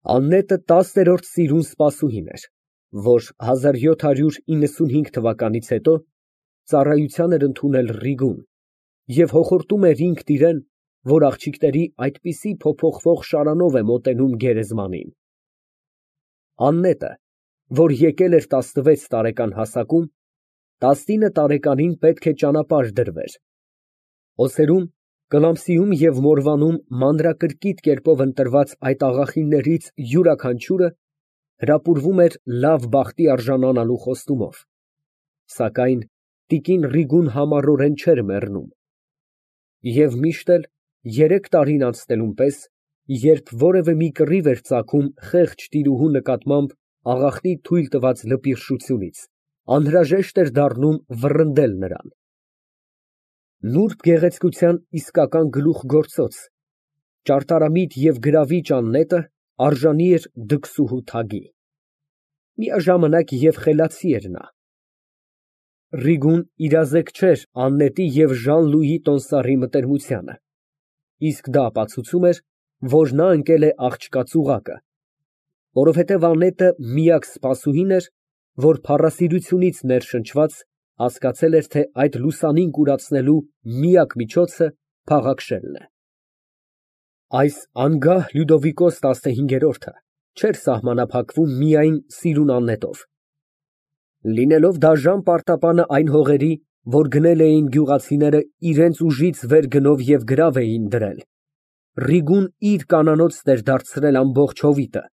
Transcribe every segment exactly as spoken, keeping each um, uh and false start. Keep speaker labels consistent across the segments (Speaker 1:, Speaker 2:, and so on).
Speaker 1: Աննետը տասներորդ սիրուն սպասուհին էր, որ հազար յոթ հարյուր իննսունհինգ թվականից հետո ծառայության էր ընդունել Ռիգուն և հոխորտում էր ինքն իրան, որ աղջիկների այդպիսի փոփոխվող շարանով է մոտենում գերեզմանին։ Աննետը, որ եկել էր տասնվեց տարեկան հասակում, տասնինը տարեկանին պետք է ճանապարհ դրվեր։ Օսերում, Կլամսիում և Մորվանում մանրակրկիտ կերպով ընտրված այդ աղախիններից յուրաքանչյուրը հրապուրվում էր լավ բախտի արժանանալու խոստումով, սակայն տիկին Ռիգուն համառորեն չէր մեռնում։ Եվ միշտ էլ, երեք տարին անցնելուն պես, երբ որևէ մի կռիվ էր ծագում խեղճ տիրուհու նկատմամբ աղախնի թույլ տված լպիրշությունից, անհրաժեշտ էր դառնում վռնդել նրան։ Նուրբ գեղեցկության իսկական գլուխգործոց, ճարտարամիտ և գրավիչ Աննետը արժանի էր դքսուհու թագի։ Միաժամանակ և խելացի էր նա։ Ռիգուն իրազեկ չէր Աննետի և Ժան֊Լուի տոմսառի մտերմությանը, իսկ դա ապացուցում էր, որ նա ընկել է աղջկա ծուղակը, որովհետև Աննետը միակ սպասուհին էր, որ փառասիրությունից ներշնչված, հասկացել էր, թե այդ լուսանին կուրացնելու միակ միջոցը փաղաքշելն է։ Այս անգահ Լյուդովիկոս տասնհինգերորդը չէր սահմանափակվում միայն սիրուն Աննետով։ Լինելով դաժան պարտապանը այն հողերի, որ գնել էին գյուղացիները իրանց ուժից վեր գնով և գրավ էին դրել, Ռիգուն իր կանանոցն էր դարձրել ամբողջ հովիտը,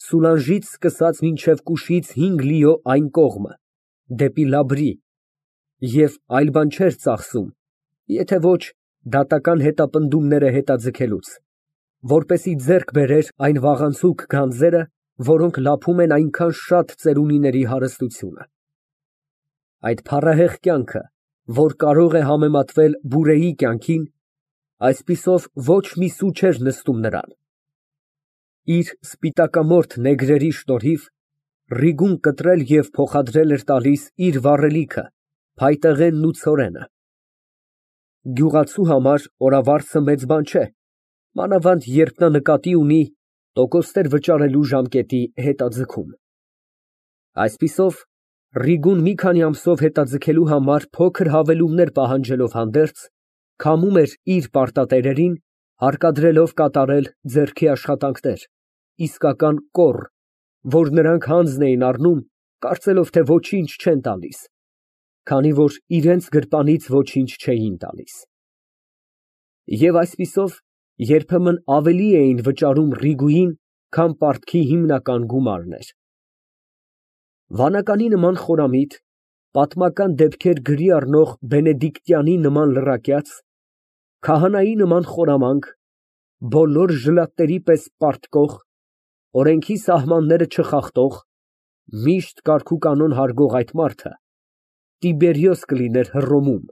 Speaker 1: Սուլանժից սկսած մինչև Կուշից հինգ լիո այն կողմը, դեպի Լաբրի, և այլ բան չէր ծախսում, եթե ոչ դատական հետապնդումները հետաձգելուց, որպեսզի ձեռք բերեր այն վաղանցուկ գանձերը, որոնք լափում են այնքան շատ ծերունիների հարստությունը։ Այդ փառահեղ կյանքը, որ կարող է համեմատվել Բուրեի կյանքին, այսպիսով ոչ մի սու չէր նստում նրան։ Իր սպիտակամորթ նեգրերի շնորհիվ Ռիգուն կտրել և փոխադրել էր տալիս իր վառելիքը, փայտեղենն ու ցորենը։ Գյուղացու համար օրավարձը մեծ բան չէ, մանավանդ երբ նա նկատի ունի տոկոսներ վճարելու ժամկետի հետաձգում։ Այսպիսով, Ռիգուն մի քանի ամսով հետաձգելու համար փոքր հավելումներ պահանջելով հանդերձ, քամում էր իր պարտատերերին, հարկադրելով կատարել ձեռքի աշխատանքներ, իսկական կոռ, որ նրանք հանձն էին առնում, կարծելով, թե ոչինչ չեն տալիս, քանի որ իրենց գրպանից ոչինչ չէին տալիս։ Եվ այսպիսով, երբեմն ավելի էին վճարում Ռիգուին, քան պարտքի հիմնական գումարն էր։ Վանականի նման խորամիտ, պատմական դեպքեր գրի առնող Բենեդիկտյանի նման լրակյաց, քահանայի նման խորամանկ, բոլոր ժլատների պես պարտկող, օրենքի սահմանները չխախտող, միշտ կարգուկանոն հարգող այդ մարդը Տիբերիոս կլիներ Հռոմում,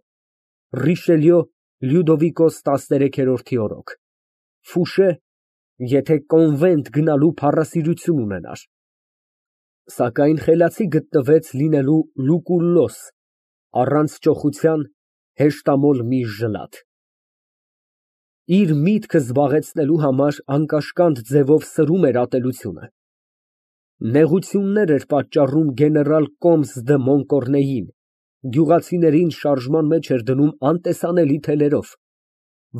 Speaker 1: Ռիշելյո Լյուդովիկոս տասներեքերորդի օրոք, Ֆուշե, եթե կոնվենտ գնալու փառասիրություն ունենար, սակայն խելացի գտնվեց լինելու Լուկուլլոս, առանց ճոխության հեշտամոլ մի ժլատ։ Իր միտքը զբաղեցնելու համար անկաշկանդ ձևով սրում էր ատելությունը։ Նեղություններ էր պատճառում գեներալ Կոմս դը Մոնկորնեին, գյուղացիներին շարժման մեջ էր դնում անտեսանելի թելերով,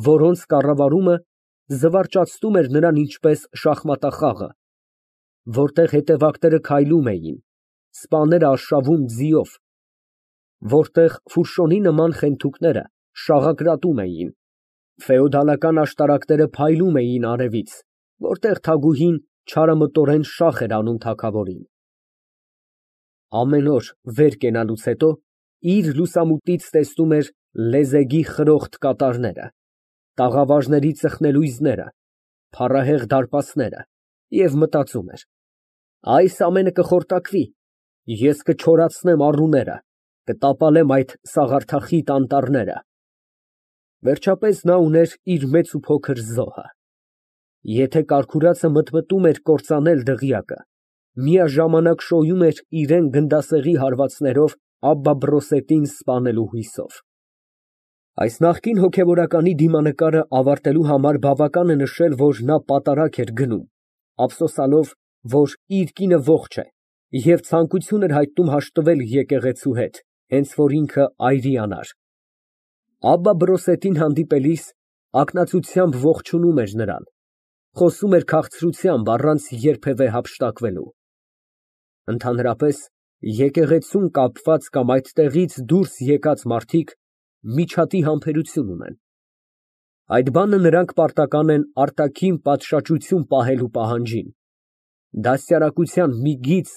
Speaker 1: որոնց կառավարումը զվարճացնում էր նրան ինչպես շախմատախաղը, որտեղ հետևակները քայլում էին, սպաները արշավում ձիով, որտեղ Ֆուշոնի նման խենթուկները շաղակրատում էին, ֆեոդալական աշտարակները փայլում էին արևից, որտեղ թագուհին չարամտորեն շախ էր անում թագավորին։ Ամեն օր վեր կենալուց հետո իր լուսամուտից տեսնում էր լեզեգի խրոխտ կատարները, տաղավարների ծխնելույզները, փառահեղ դարպասները և մտածում էր. այս ամենը կխորտակվի, ես կչորացնեմ առուները, կտապալեմ այդ սաղարթախիտ անտառները։ Վերջապես նա ուներ իր մեծ ու փոքր զոհը։ Եթե կարգուրացը մտմտում էր կործանել դղյակը, միաժամանակ շոյում էր իրան գնդասեղի հարվածներով Աբբա Բրոսետին սպանելու հույսով։ Այս նախկին հոգևորականի դիմանկարը ավարտելու համար բավական է նշել, որ նա պատարագ էր գնում, ափսոսանալով, որ իր կինը ողջ է, և ցանկություն էր հայտնում հաշտվել եկեղեցու հետ, հենց որ ինքը այրիանար։ Աբբա հանդիպելիս ակնածությամբ ողջունում էր նրան, խոսում էր քաղցրությամբ, առանց երբևէ հափշտակվելու։ Ընդհանրապես, եկեղեցուն կապված կամ այդտեղից դուրս եկած մարդիկ միջատի համբերություն ունեն։ Այդ բանը նրանք պարտական են արտաքին պատշաճություն պահելու պահանջին, դաստիարակության մի գիծ,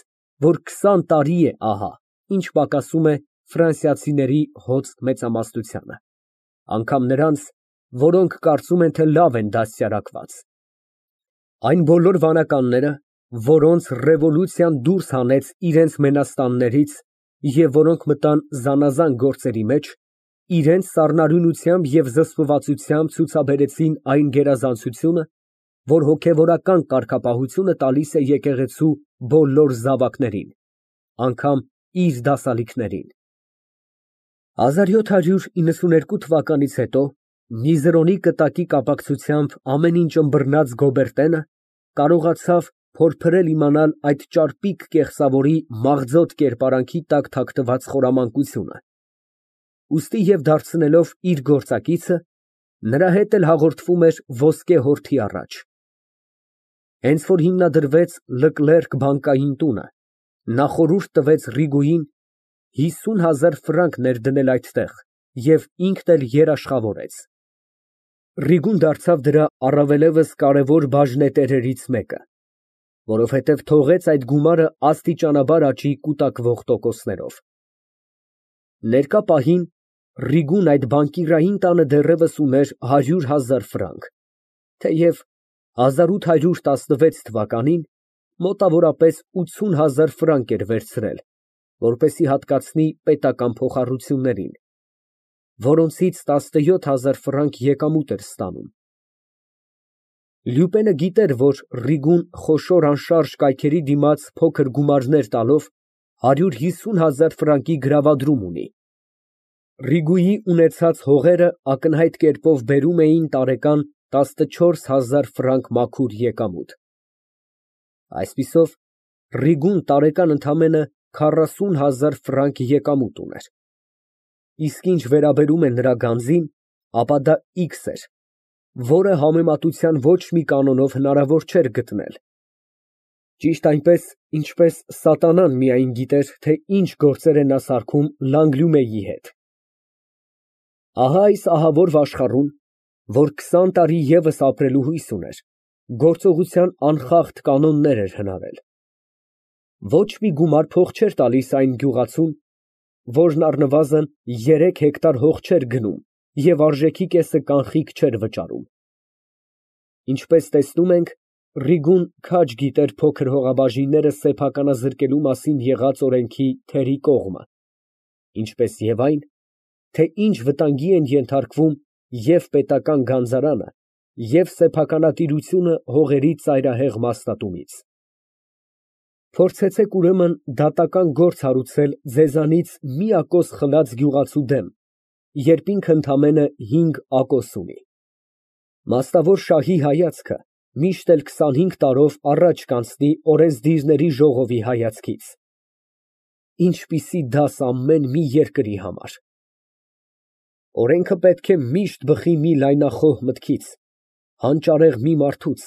Speaker 1: որ քսան տարի է ահա, ինչ պակասում է ֆրանսիացիների հոծ մեծամասնությանը, անգամ նրանց, որոնք կարծում են, թե լավ են դաստիարակված։ Այն բոլոր վանականները, որոնց ռևոլյուցիան դուրս հանեց իրենց մենաստաններից և որոնք մտան զանազան գործերի մեջ, իրենց սառնարյունությամբ և զսպվածությամբ ցուցաբերեցին այն գերազանցությունը, որ հոգևորական կարգապահությունը տալիս է եկեղեցու բոլոր զավակներին, անգամ իր դասալիքներին։ հազար յոթ հարյուր իննսուներկու թվականից հետո Միզերոնի կտակի կապակցությամբ ամեն ինչ ըմբռնած Գոբերտենը կարողացավ փորփրել իմանալ այդ ճարպիկ կեղծավորի մաղձոտ կերպարանքի տակ թաքնված խորամանկությունը, ուստի և դարձնելով իր գործակիցը, նրա հետ էլ հաղորդվում էր ոսկե հորթի առաջ։ Հենց որ հիմնադրվեց Լկլերկ բանկային տունը, նա խորհուրդ տվեց Ռիգուին հիսուն հազար ֆրանկ ներդնել այդտեղ և ինքն էլ երաշխավորեց։ Ռիգուն դարձավ դրա առավելևս կարևոր բաժնետերերից մեկը, որովհետև թողեց այդ գումարը աստիճանաբար աճի կուտակվող տոկոսներով։ Ներկա պահին Ռիգուն այդ բանկիրային տանը դեռևս ուներ հարյուր հազար ֆրանկ, թեև հազար ութ հարյուր տասնվեց թվականին մոտավորապես ութսուն հազար ֆրանկ էր վերցրել, որպեսզի հատկացնի պետական փոխառություններին, որոնցից տասնյոթ հազար ֆրանկ եկամուտ էր ստանում։ Լյուպենը գիտեր, որ Ռիգուն խոշոր անշարժ կայքերի դիմաց փոքր գումարներ տալով հարյուր հիսուն հազար ֆրանկի գրավադրում ունի։ Ռիգուի ունեցած հողերը ակնհայտ կերպով բերում էին տարեկան տասնչորս հազար ֆրանկ մաքուր եկամուտ։ Այսպիսով, Ռիգուն տարեկան ընդամենը քառասուն հազար ֆրանկ եկամուտ ուներ։ Իսկ ինչ վերաբերում է նրա գանձին, ապա դա X էր, որը համեմատության ոչ մի կանոնով հնարավոր չէր գտնել։ Ճիշտ այնպես, ինչպես սատանան միայն գիտեր, թե ինչ գործեր է նա սարքում Լանգլյումեի հետ։ Ահա այս ահավոր վաշխառուն, որ քսան տարի ևս ապրելու հույս ուներ, գործողության անխախտ կանոններ էր հնարել։ Ոչ մի գումար փող չէր տալիս այն գյուղացուն, որն առնվազն երեք հեկտար հող չէր գնում և արժեքի կեսը կանխիկ չէր վճարում։ Ինչպես տեսնում ենք, Ռիգուն քաջ գիտեր փոքր հողաբաժինները սեփականազրկելու մասին եղած օրենքի թերի կողմը, ինչպես և այն, թե ինչ վտանգի են ենթարկվում և պետական գանձարանը, և սեփականատիրությունը հողերի ծայրահեղ մասնատումից։ Փորձեցեք, ուրեմն, դատական գործ հարուցել ձեզանից մի ակոս խլած գյուղացու դեմ, երբ ինքը ընդամենը հինգ ակոս ունի։ Մաստավոր շահի հայացքը միշտ էլ քսանհինգ տարով առաջ կանցնի օրենսդիրների ժողովի հայացքից։ Ինչպիսի դաս ամեն մի երկրի համար։ Օրենքը պետք է միշտ բխի մի լայնախոհ մտքից, հանճարեղ մի մարդուց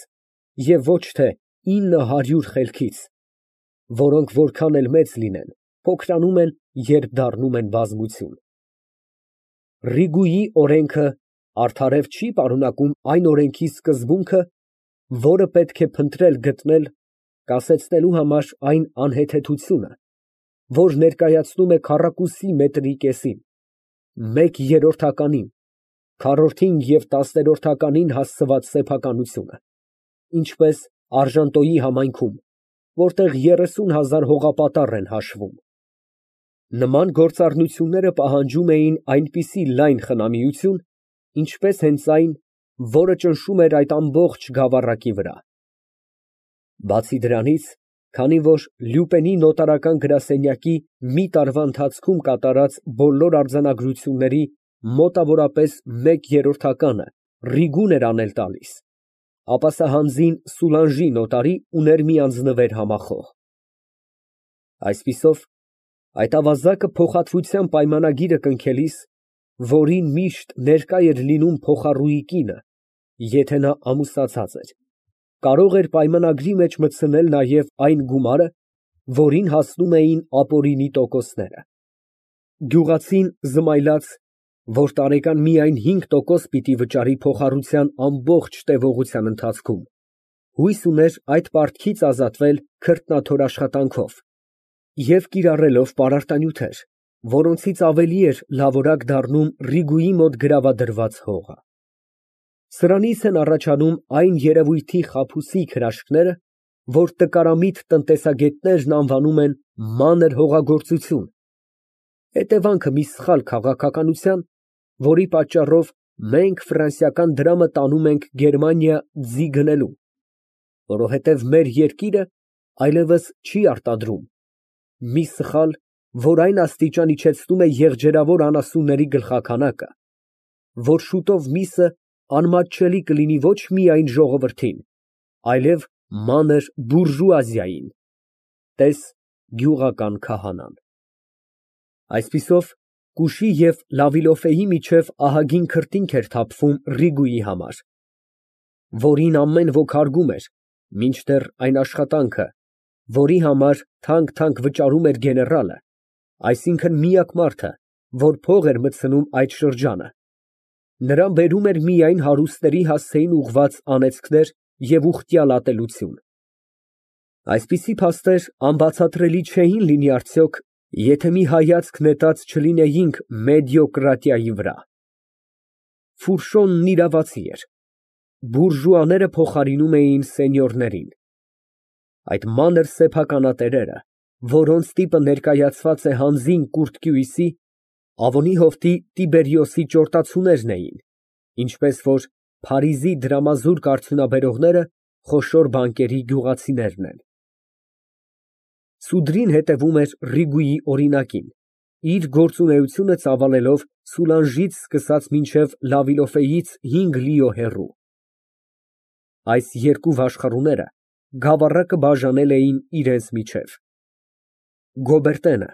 Speaker 1: և ոչ թե ինը հարյուր խելքից, որոնք որքան էլ մեծ լինեն, փոքրանում են, երբ դառնում են բազմություն։ Ռիգուի օրենքը արդարև չի պարունակում այն օրենքի սկզբունքը, որը պետք է փնտրել գտնել, կասեցնելու համար այն անհեթեթությունը, որ ներկայացնում է քառակուսի մետրի կեսին, մեկ երրորդականին, քառորդին և տասներորդականին հասցված սեփականությունը, ինչպես Արժանտոյի համայնքում, որտեղ երեսուն հազար հողապատառ են հաշվում։ Նման գործառնությունները պահանջում էին այնպիսի լայն խնամիություն, ինչպես հենց այն, որը ճնշում էր այդ ամբողջ գավառակի վրա։ Բացի դրանից, քանի որ Լյուպենի նոտարական գրասենյակի մի տարվա ընթացքում կատարած բոլոր արձանագրությունների մոտավորապես մեկ երրորդականը Ռիգուն էր անել տալիս, ապա սա հանձին Սուլանժի նոտարի ուներ մի անձնվեր համախոհ։ Այսպիսով, այդ ավազակը փոխհատվության պայմանագիրը կնքելիս, որին միշտ ներկա էր լինում փոխառուի կինը, եթե նա ամուսնացած էր, կարող էր պայմանագրի մեջ մտցնել նաև այն գումարը, որին հասնում էին ապօրինի տոկոսները։ Գյուղացին զմայլաց, որ տարեկան միայն հինգ տոկոս պիտի վճարի փոխառության ամբողջ տևողության ընթացքում, հույս ուներ այդ պարտքից ազատվել քրտնաթոր աշխատանքով և կիրառելով պարարտանյութեր, որոնցից ավելի էր լավորակ դառնում Ռիգուի մոտ գրավադրված հողը։ Սրանից են առաջանում այն երևույթի խաբուսիկ հրաշքները, որ տկարամիտ տնտեսագետներն անվանում են մանր հողագործություն, հետևանքը մի սխալ քաղաքականության, որի պատճառով մենք ֆրանսիական դրամը տանում ենք Գերմանիա ձի գնելու, որովհետև մեր երկիրը այլևս չի արտադրում, մի սխալ, որ այն աստիճան իջեցնում է եղջերավոր անասունների գլխաքանակը, որ շուտով միսը անմատչելի կլինի ոչ միայն ժողովրդին, այլև մանր բուրժուազիային (տես գյուղական քահանան)։ Այսպիսով, Կուշի և Լավիլոֆեի միջև ահագին քրտինք էր թափվում Ռիգուի համար, որին ամեն ոք հարգում էր, մինչդեռ այն աշխատանքը, որի համար թանկ֊թանկ վճարում էր գեներալը, այսինքն միակ մարդը, որ փող էր մտցնում այդ շրջանը, նրան բերում էր միայն հարուստների հասցեին ուղղված անեծքներ և ուխտյալ ատելություն։ Այսպիսի փաստեր անբացատրելի չէին լինի արդյոք, եթե մի հայացք նետած չլինեինք մեդիոկրատիայի վրա։ Ֆուրշոնն իրավացի էր, բուրժուաները փոխարինում էին սենյորներին։ Այդ մանր սեփականատերերը, որոնց տիպը ներկայացված է հանձին Կուրտկյուիսի, Ավոնի հովտի Տիբերիոսի ճորտացուներն էին, ինչպես որ Փարիզի դրամազուրկ արդյունաբերողները խոշոր բանկերի գյուղացիներն են։ Սուդրին հետևում էր Ռիգուի օրինակին, իր գործունեությունը ծավալելով Սուլանժից սկսած մինչև Լավիլոֆեից հինգ լիո հեռու։ Այս երկու վաշխառուները գավառակը բաժանել էին իրենց միջև։ Գոբերտենը,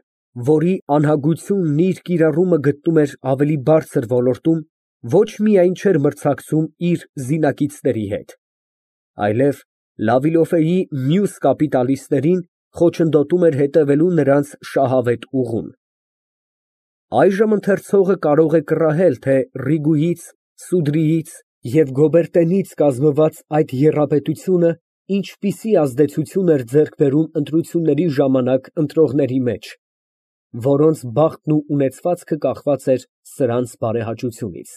Speaker 1: որի անհագությունն իր կիրառումը գտնում էր ավելի բարձր ոլորտում, ոչ միայն չէր մրցակցում իր զինակիցների հետ, այլև Լավիլոֆեի մյուս կապիտալիստներին խոչընդոտում էր հետևելու նրանց շահավետ ուղուն։ Այժմ ընթերցողը կարող է կռահել, թե Ռիգուից, Սուդրիից և Գոբերտենից կազմված այդ եռապետությունը ինչպիսի ազդեցություն էր ձեռք բերում ընտրությունների ժամանակ ընտրողների մեջ, որոնց բախտն ու ունեցվածքը կախված էր սրանց բարեհաճությունից։